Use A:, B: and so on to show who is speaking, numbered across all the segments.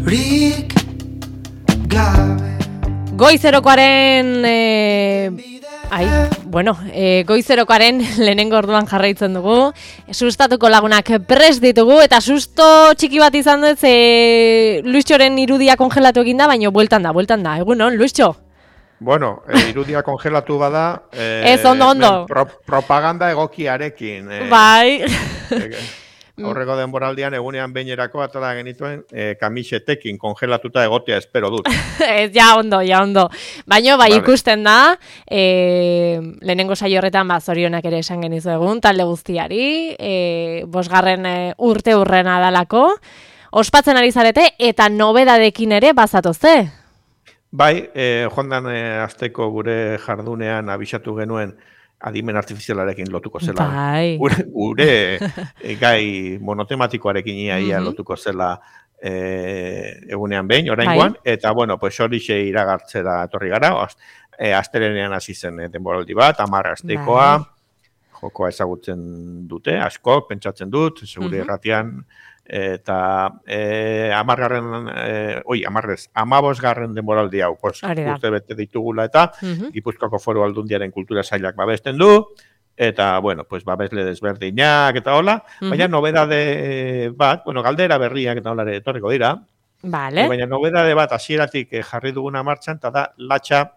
A: rik gabe.
B: Goizerokoaren goizerokoaren lehenengo orduan jarraitzen dugu. Sustatuko lagunak prest ditugu eta susto txiki bat izan dut Luistxoren irudia kongelatu egin da, baina bueltan da. Egunon, Luistxo?
C: Bueno, irudia kongelatu bada...
B: Ez, ondo.
C: Propaganda egokiarekin.
B: Bai.
C: Aurreko denboraldian egunean beinerako atala genituen kamisetekin kongelatuta egotea espero dut.
B: Ja ondo. Baina bai, vale. Ikusten da, lehenengo saio horretan zorionak ere esan genizu egun, talde guztiari, 5. urte hurrena dalako, ospatzen ari zarete eta nobedadekin ere bazatozte.
C: Bai, joan asteko gure jardunean abisatu genuen adimen artifizialarekin lotuko zela.
B: Bai.
C: Gure gai monotematikoarekin ia lotuko zela egunean behin, oraingoan, eta bueno, pues horixe iragartzera etorri gara, astelehenean hasi zen denboraldi bat, 10 astekoa, jokoa ezagutzen dute, asko, pentsatzen dut, segure irratian, eta 15. denboraldi hau, urte bete ditugula eta Gipuzkoako Foru Aldundiaren kultura sailak babesten du, eta, bueno, pues babesle desberdinak eta hola, baina nobedade bat, galdera berriak eta hola etorriko dira, baina nobedade bat hasieratik jarri duguna martxan, eta da latxa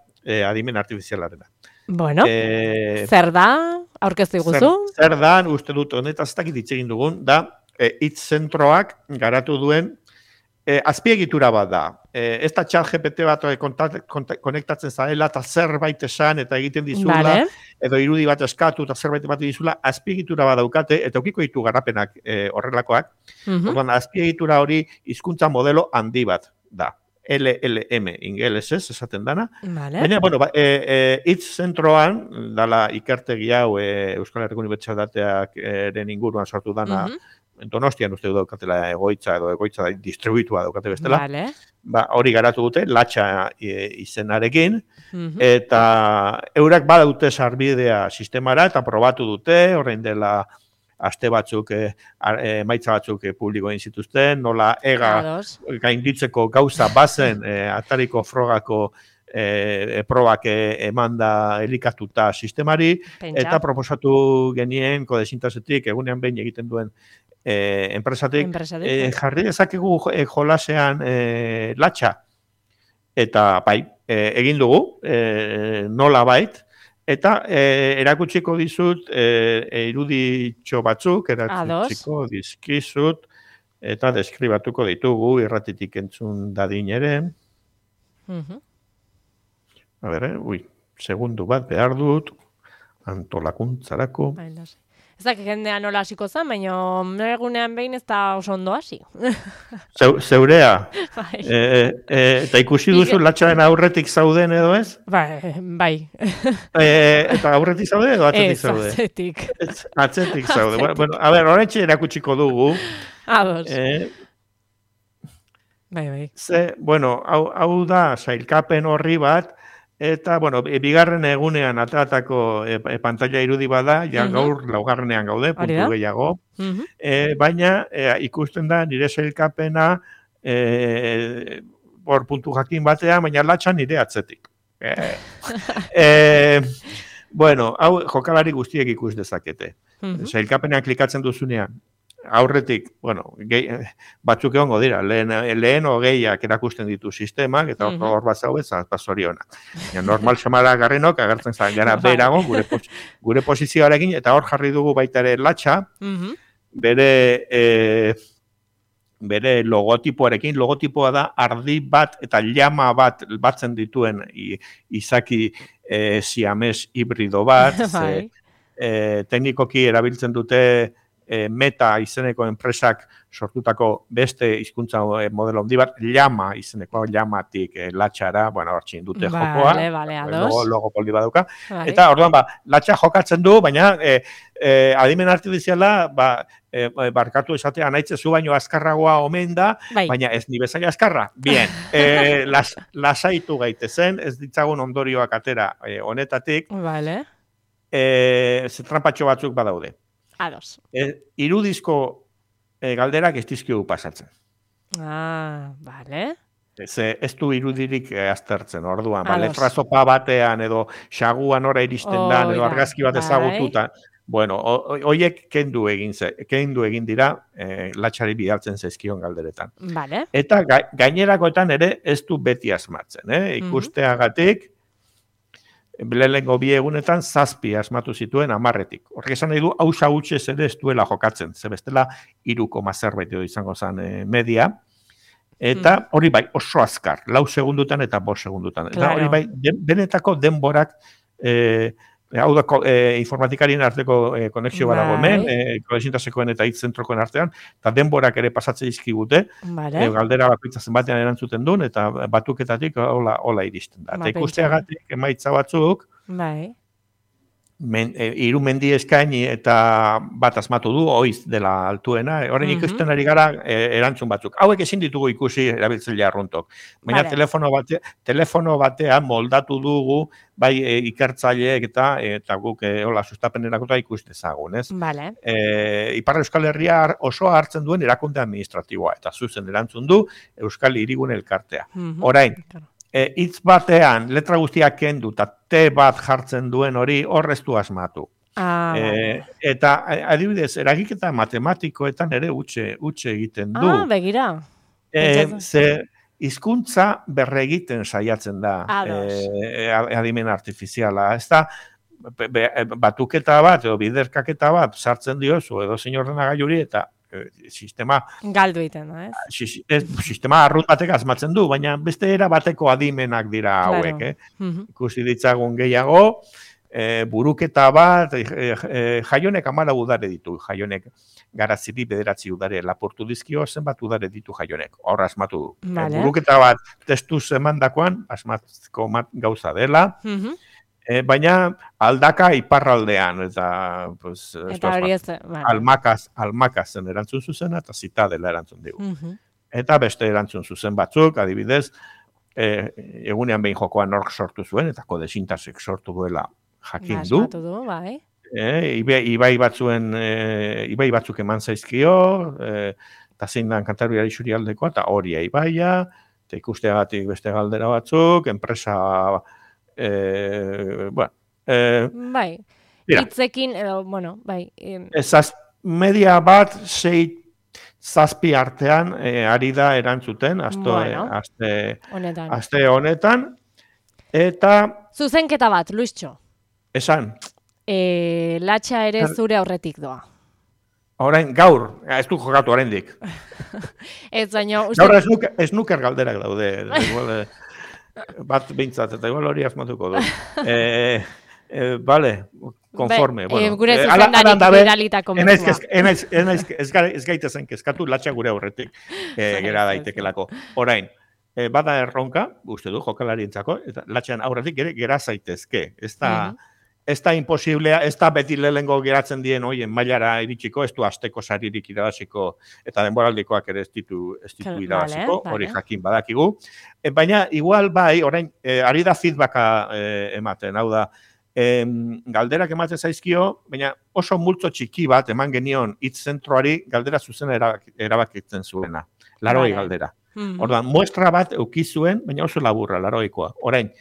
C: adimen artifizialarena.
B: Bueno, zer da, aurkeztu iguzu?
C: Zer da, uste dut, honetaz ez dakit hitz egin dugun, da, hitz zentroak garatu duen azpiegitura bat da. Ez da ChatGPT bat konektatzen zarela eta zerbait esan eta egiten dizula, edo irudi bat eskatu eta zerbait bat dizula, azpiegitura bat daukate, eta ukiko ditu garrapenak horrelakoak. Azpiegitura hori hizkuntza modelo handi bat da. LLM ingelesez esaten dana. Baina, hitz zentroan, dala ikertegi hau Euskal Herriko Unibertsitateak eren inguruan sortu dana, Donostian uste daukatela egoitza edo egoitza distribuitua daukate bestela. Hori garatu dute, latxa izenarekin, eta eurak badaute sarbidea sistemara eta probatu dute, orain dela aste batzuk, emaitza batzuk publiko egin zituzten, nola gainditzeko gauza bazen atariko frogako probak emanda elikatuta sistemari, eta proposatu genien kodezintazetik egunean behin egiten duen enpresatik, jarri dezakegu jolasean latxa. Eta bai, egin dugu, nola bait, eta erakutsiko dizut iruditxo batzuk, erakutsiko dizkizut, eta deskribatuko ditugu irratitik entzun dadin ere. A ber, segundu bat behar dut, antolakuntzarako.
B: Ez da, jendea nola hasiko zen, baina egunean behin ez da oso ondo hasi.
C: Zeurea. Eta ikusi duzu latxaren aurretik zauden edo ez?
B: Bai. Eta
C: aurretik zaude edo atzetik zaude?
B: Atzetik.
C: Atzetik zaude. Bueno, a ber, horretxe erakutsiko dugu.
B: Ados. Bai.
C: Hau da, sailkapen horri bat, eta, bigarren egunean atatako pantalla irudi bada, ja gaur laugarrenean gaude, puntu gehiago. Baina ikusten da nire sailkapena puntu jakin batean, baina latxa nire atzetik. Hau jokalari guztiek ikus dezakete. Sailkapenean klikatzen duzunean, aurretik, batzuk egongo dira, lehen hogeiak erakusten ditu sistemak, eta hor bat zaubez, zorionak. Normal semara garrenok, agertzen zaren gara berago, gure posizioarekin, eta hor jarri dugu baita ere latxa, bere logotipoarekin, logotipoa da ardi bat eta llama bat batzen dituen izaki siames hibrido bat, teknikoki erabiltzen dute Meta izeneko enpresak sortutako beste hizkuntza modelo handi bat, llama izeneko llamatik latxara, hortxin dute jokoa, logo poldi baduka, eta orduan latxa jokatzen du, baina adimen artifiziala barkatu esatea naitzezu baino azkarragoa omen da, baina ez ni bezaila azkarra. Bien, lasaitu gaitezen, ez ditzagun ondorioak atera honetatik, trampatxo batzuk badaude.
B: Ados.
C: Irudizko galderak ez dizkigu pasatzen.
B: Bale.
C: Ez du irudirik aztertzen, orduan. Ba,
B: Ados.
C: letra zopa batean, edo xaguan ora iristen da, edo
B: Oida,
C: argazki bat
B: bai.
C: ezagututa. Bueno, hoiek kendu egin dira, latxari bidaltzen zaizkion galderetan.
B: Bale.
C: Eta gainerakoetan ere ez du beti asmatzen, ikusteagatik, lehenengo bi egunetan 7 asmatu zituen 10-etik. Horrek esan nahi du, hausa hutsez ere ez duela jokatzen, ze bestela 3, zerbait edo izango zen media, eta hori bai, oso azkar, 4 segundutan eta 5 segundutan. Eta hori bai, benetako denborak, hau da, informatikarien arteko konexio badago hemen, kodesintasekoen eta hitzentrokoen artean, eta denborak ere pasatze dizkigute, galdera bakoitza zenbatean erantzuten duen, eta batuketatik hola iristen da. Eta ikusteagatik emaitza batzuk, hiru mendi eskaini eta bat asmatu du, oiz dela altuena, orain ikusten ari gara erantzun batzuk. Hauek ezin ditugu ikusi erabiltzaile arruntok. Baina telefono batean moldatu dugu, bai ikertzaileek eta guk hola sustapenerako ikuste ezagun, ez? Ipar Euskal Herria osoa hartzen duen erakunde administratiboa, eta zuzen erantzun du Euskal Hirigune Elkartea. Orain, hitz batean, letra guztiak kendu, eta T bat jartzen duen hori horrez du asmatu. Eta adibidez, eragiketa matematikoetan ere utxe egiten du.
B: Begira.
C: Ze hizkuntza berregiten saiatzen da adimen artifiziala. Ez da, batuketa bat edo biderkaketa bat sartzen diozu edo zein ordenagailuri eta sistema
B: galdu egiten da,
C: sistema arrunt batek asmatzen du, baina beste era bateko adimenak dira hauek, ikusi ditzagun gehiago, buruketa bat, jaionek 14 udare ditu, jaionek Garaziri 9 udare lapurtu dizkio, zenbat udare ditu jaionek, hor asmatu du. Buruketa bat testuz emandakoan, asmatzeko gauza dela, baina aldaka iparraldean, eta
B: hori ez,
C: almakazen erantzun zuzena, eta zitadela erantzun digu. Eta beste erantzun zuzen batzuk, adibidez, egunean behin jokoan nork sortu zuen, eta kodesintasek sortu duela jakin du. Ibai batzuk eman zaizkio, eta zein dan Kantabriari Xurialdekoa, eta hori Ibaia, eta ikusteagatik beste galdera batzuk, enpresa...
B: hitzekin,
C: media bat 6-7 artean ari da erantzuten aste honetan, eta
B: zuzenketa bat, Luistxo,
C: esan
B: latxa ere zure aurretik doa.
C: Orain, gaur, ez du jokatu oraindik. Gaur ez nuker galderak daude, bat bintzat, eta igual hori asmatuko du. Vale, konforme.
B: Gure zuzendarik bidalitako mezua.
C: Ez gaitezen kezkatu, latxa gure aurretik gera daitekelako. Orain, bada erronka, uste du, jokalarientzako, eta latxan aurretik gera zaitezke. Ez da imposiblea, ez da beti lehengo geratzen dien hoien mailara iritsiko, ez du asteko saririk irabaziko, eta denboraldikoak ere ez ditu irabaziko, hori jakin badakigu. Baina, igual bai, orain, ari da feedbacka ematen, hau da, galderak ematen zaizkio, baina oso multzo txiki bat eman genion hitz zentroari galdera zuzena erabakitzen zuena, 80 galdera. Orduan, muestra bat eukizuen, baina oso laburra, 80koa. Orain,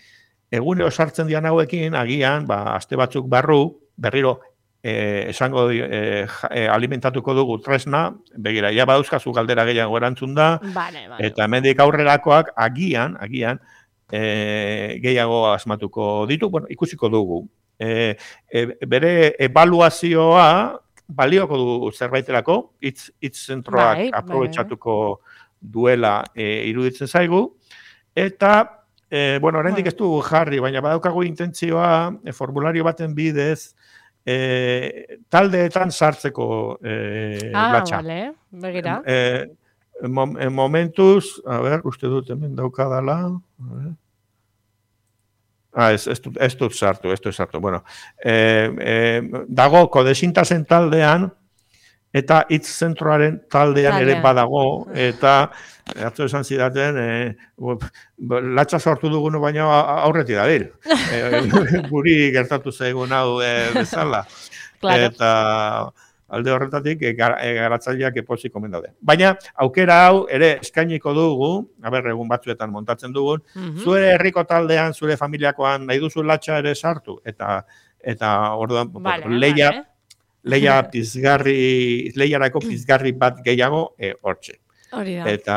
C: egunero sartzen dian hauekin, agian, aste batzuk berriro esango alimentatuko dugu tresna, begira, ja badauzkazu galdera gehiago erantzun da, eta hemendik aurrerakoak agian, gehiago asmatuko ditu, ikusiko dugu. Bere ebaluazioa balioko du zerbaiterako, hitz zentroak aprobetxatuko duela iruditzen zaigu, eta oraindik ez du jarri, baina badaukagu intentzioa formulario baten bidez taldeetan sartzeko latxa.
B: Begira.
C: Momentuz, uste dut hemen daukadala. Ez dut sartu. Dago kodesintasen taldean, eta hitz zentroaren taldean ere badago, eta atzo esan zidaten, latxa sortu dugunu baina aurretik dabil. Guri gertatu zaigun hau bezala. Eta, alde horretatik garatzaileak epozik omen daude. Baina aukera hau ere eskainiko dugu, egun batzuetan montatzen dugun, zure herriko taldean, zure familiakoan nahi duzu latxa ere sartu, eta orduan leia leiarako pizgarri bat gehiago hortxe.
B: Hori da.
C: Eta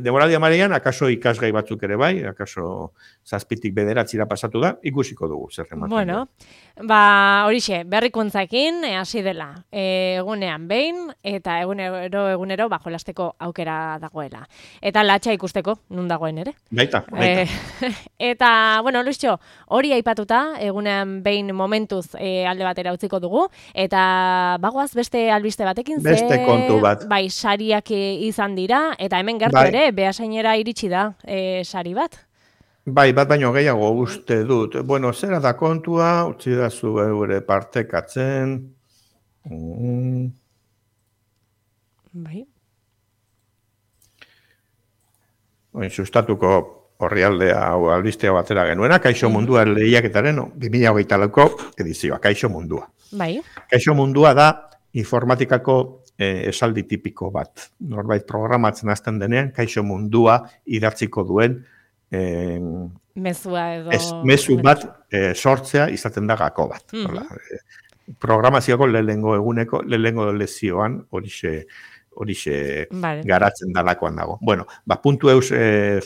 C: demoraldi amaian, akaso ikasgai batzuk ere bai, akaso 7tik 9 pasatu da, ikusiko dugu zer ematen.
B: Bueno, horixe, berrikuntzakin hasi dela. Egunean behin eta egunero jolasteko aukera dagoela. Eta latxa ikusteko nun dagoen ere.
C: Baita.
B: Eta, Luisio, hori aipatuta, egunean behin momentuz alde batera utziko dugu, eta bagoaz beste albiste batekin,
C: beste kontu bat.
B: Bai, sariak izan dira, eta hemen gertu ere, Beasainera iritsi da sari bat.
C: Bai, bat baino gehiago uste dut. Bueno, zera da kontua, utzi da zu eure partekatzen.
B: Bai.
C: Sustatuko orrialdea hau albistea batera genuena, Kaixo Mundua lehiaketaren 2024ko edizioa, Kaixo Mundua.
B: Bai.
C: Kaixo Mundua da informatikako esaldi tipiko bat. Norbait programatzen hasten denean, Kaixo Mundua idatziko duen mezu bat sortzea izaten da gako bat. Programazioako lehenengo lezioan horixe garatzen dalakoan dago. Bueno, puntu eus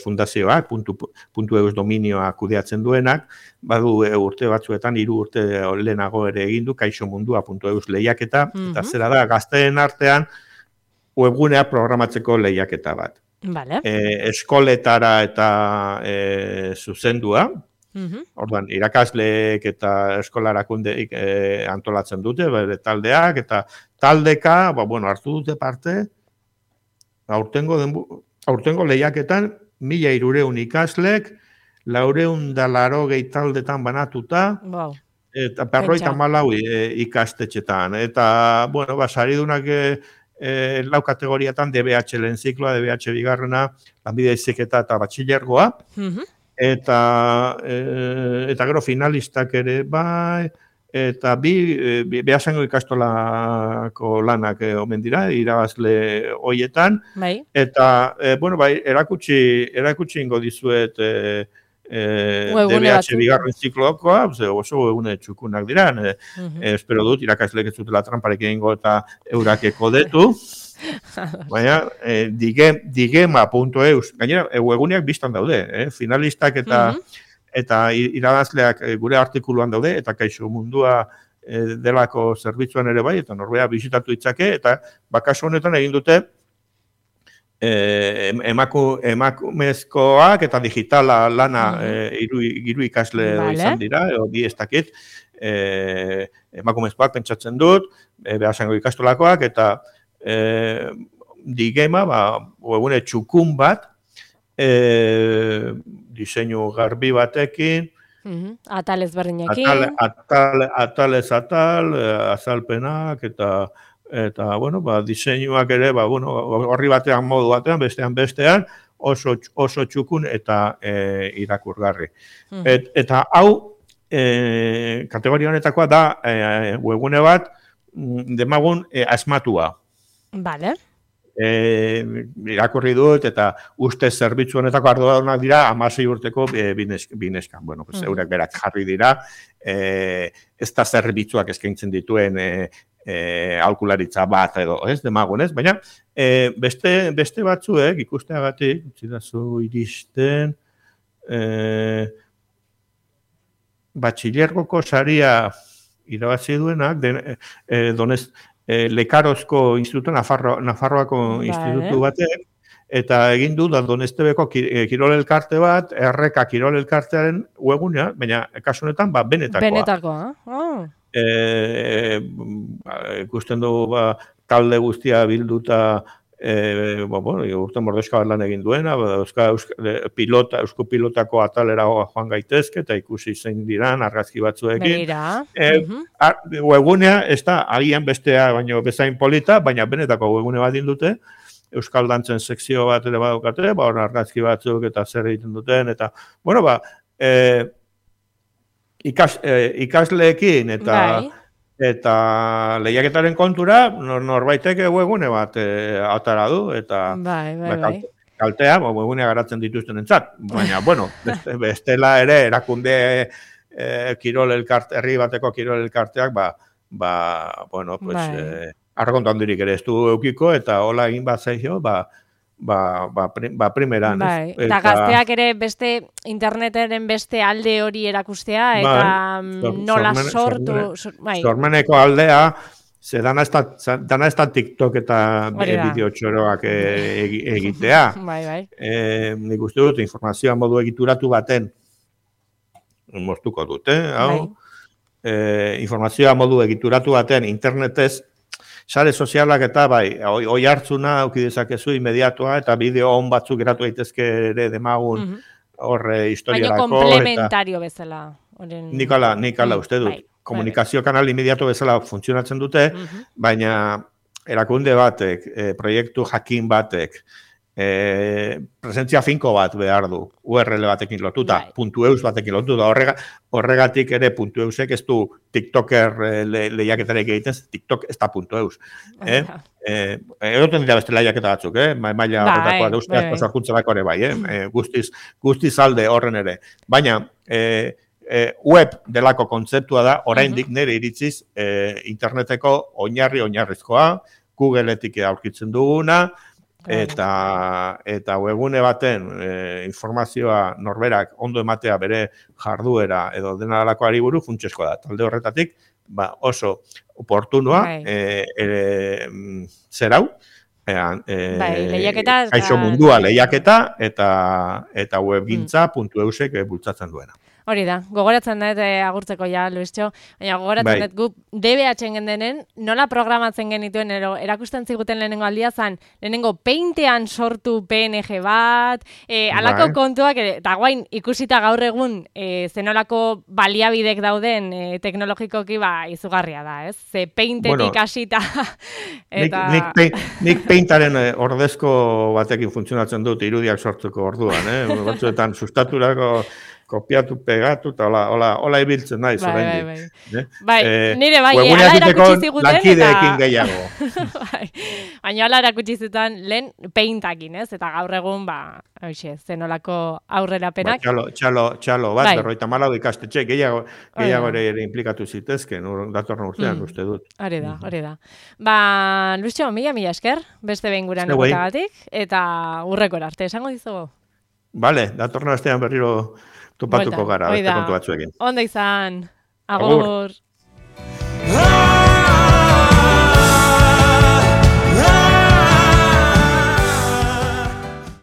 C: fundazioak, puntu eus dominioa kudeatzen duenak, badu urte batzuetan, 3 urte lehenago ere egin du Kaixo Mundua puntu eus lehiaketa, eta zera da gazteen artean webgunea programatzeko lehiaketa bat.
B: Vale.
C: Eskoletara eta zuzendua, orduan irakasleek eta eskolarakundeik antolatzen dute, bere taldeak, eta taldeka, hartu dute parte, aurtengo lehiaketan 1.300 ikaslek, 480 taldetan banatuta, eta 54 ikastetxetan. Eta, saridunak lau kategoriatan DBH lehen zikloa, DBH bigarrena, lanbide heziketa eta batxilergoa, eta gero finalistak ere bai, eta Beasaingo ikastolako lanak omen dira, irabazle hoietan, eta erakutsi ingo dizuet DBH bigarren zikloakoa, oso egune txukunak dira, espero dut, irakasleek ez dutela tramparik egingo eta eurakeko detu, baina digema.eus, gainera, eguneak biztan daude, finalistak eta irabazleak gure artikuluan daude, eta Kaixo Mundua delako zerbitzuan ere bai, eta norbea bisitatu ditzake, eta kasu honetan egin dute, emakumezkoak eta digitala lana hiru ikasle izan dira, bi ez dakit, emakumezkoak pentsatzen dut, Beasaingo ikastolakoak, eta digema, egune txukun bat, diseinu garbi batekin,
B: atal ezberdinekin,
C: atal, azalpenak, eta diseinuak ere, horri batean modu batean, bestean, oso txukun eta irakurgarri. Eta hau, kategoria honetakoa da, webgune bat, demagun asmatua.
B: Vale.
C: Irakurri dut, eta uste zerbitzu honetako arduradunak dira, 16 urteko bineskan. Eurek berak jarri dira, ez da zerbitzuak eskaintzen dituen aholkularitza bat edo, demagun, baina beste batzuek ikusteagatik, utzidazu iristen, batxilergoko saria irabazi duenak, Lekarozko institutu, Nafarroako institutu batek, eta egin du da Donestebeko kirol elkarte bat, Erreka kirol elkartearen webgunea, baina kasu honetan benetakoa. Ikusten dugu talde guztia bilduta urten Mordoxka bat lan egin duena, eusko pilotako atalera joan gaitezke, eta ikusi zein diran argazki batzuekin. Webgunea, ez da, agian bestea baino bezain polita, baina benetako webgune bat dute, euskal dantzen sekzio bat ere badukate, argazki batzuk eta zer egiten duten, eta, ikasleekin eta Eta lehiaketaren kontura, norbaitek webgune bat atara du, eta
B: Bai.
C: kaltea, webgunea garatzen dituzten entzat. Baina, bueno, bestela ere, erakunde kirol elkarte, herri bateko kirol elkarteak, bueno, pues, argonto handirik ere ez du eukiko, eta hola egin bat zaio, primeran.
B: Bai, eta gazteak ere beste interneteren beste alde hori erakustea, eta nola sortu...
C: Sormeneko aldea, ze dana ez da TikTok eta bideo txoroak egitea.
B: Bai.
C: Nik uste dut, informazioa modu egituratu baten moztuko dute, hau. Informazioa modu egituratu baten internetez, sare sozialak eta oi hartzuna auki dezakezu inmediatua eta bideo on batzuk geratu daitezke ere demagun horre historiarako.
B: Baina komplementario bezala.
C: Nik ala uste dut. Komunikazio kanal inmediato bezala funtzionatzen dute, baina erakunde batek, proiektu jakin batek, presentzia finko bat behar du, URL batekin lotuta, .eus batekin lotuta, horregatik ere .eusek ez du TikToker lehiaketarek egiten, TikTok ez da .eus. Egoten dira beste lehiaketa batzuk, maila horretakoa da uste asko sorkuntzarako ere bai, guztiz alde horren ere. Baina, web delako kontzeptua da, oraindik nire iritziz, interneteko oinarrizkoa, Googleetik aurkitzen duguna, eta webgune baten informazioa norberak ondo ematea bere jarduera edo dena dalakoari buru funtsezkoa da. Talde horretatik, oso oportunua zerau, kaixo mundua lehiaketa eta webgintza.eusek bultzatzen duena.
B: Hori da, gogoratzen dut agurtzeko ja, Luistxo, baina gogoratzen dut gu DBH-en gendenen, nola programatzen genituen, erakusten ziguten lehenengo aldia zan, lehenengo Paintean sortu PNG bat, alako kontuak, eta guain ikusita gaur egun zenolako baliabidek dauden teknologikoki izugarria da, ez? Ze Paintetik hasita.
C: Nik Paintaren ordezko batekin funtzionatzen dut irudiak sortzeko orduan, batzuetan sustaturako kopiatu, pegatu, eta hola ibiltzen naiz.
B: Nire ala erakutsi ziguten.
C: Lankideekin gehiago.
B: Baina ala erakutsi zuten lehen Paintakin, ez? Eta gaur egun, zenolako aurrerapenak.
C: Txalo bat, 54 ikastetxe, gehiago ere implikatu zitezken, datorren urtean, uste dut.
B: Hori da. Luistxo, mila esker, beste behin gurean egotagatik, eta urrekor arte, esango dizugu?
C: Bale, datorren astean berriro topatuko gara, beste kontu batzuekin.
B: Ondo izan. Agur.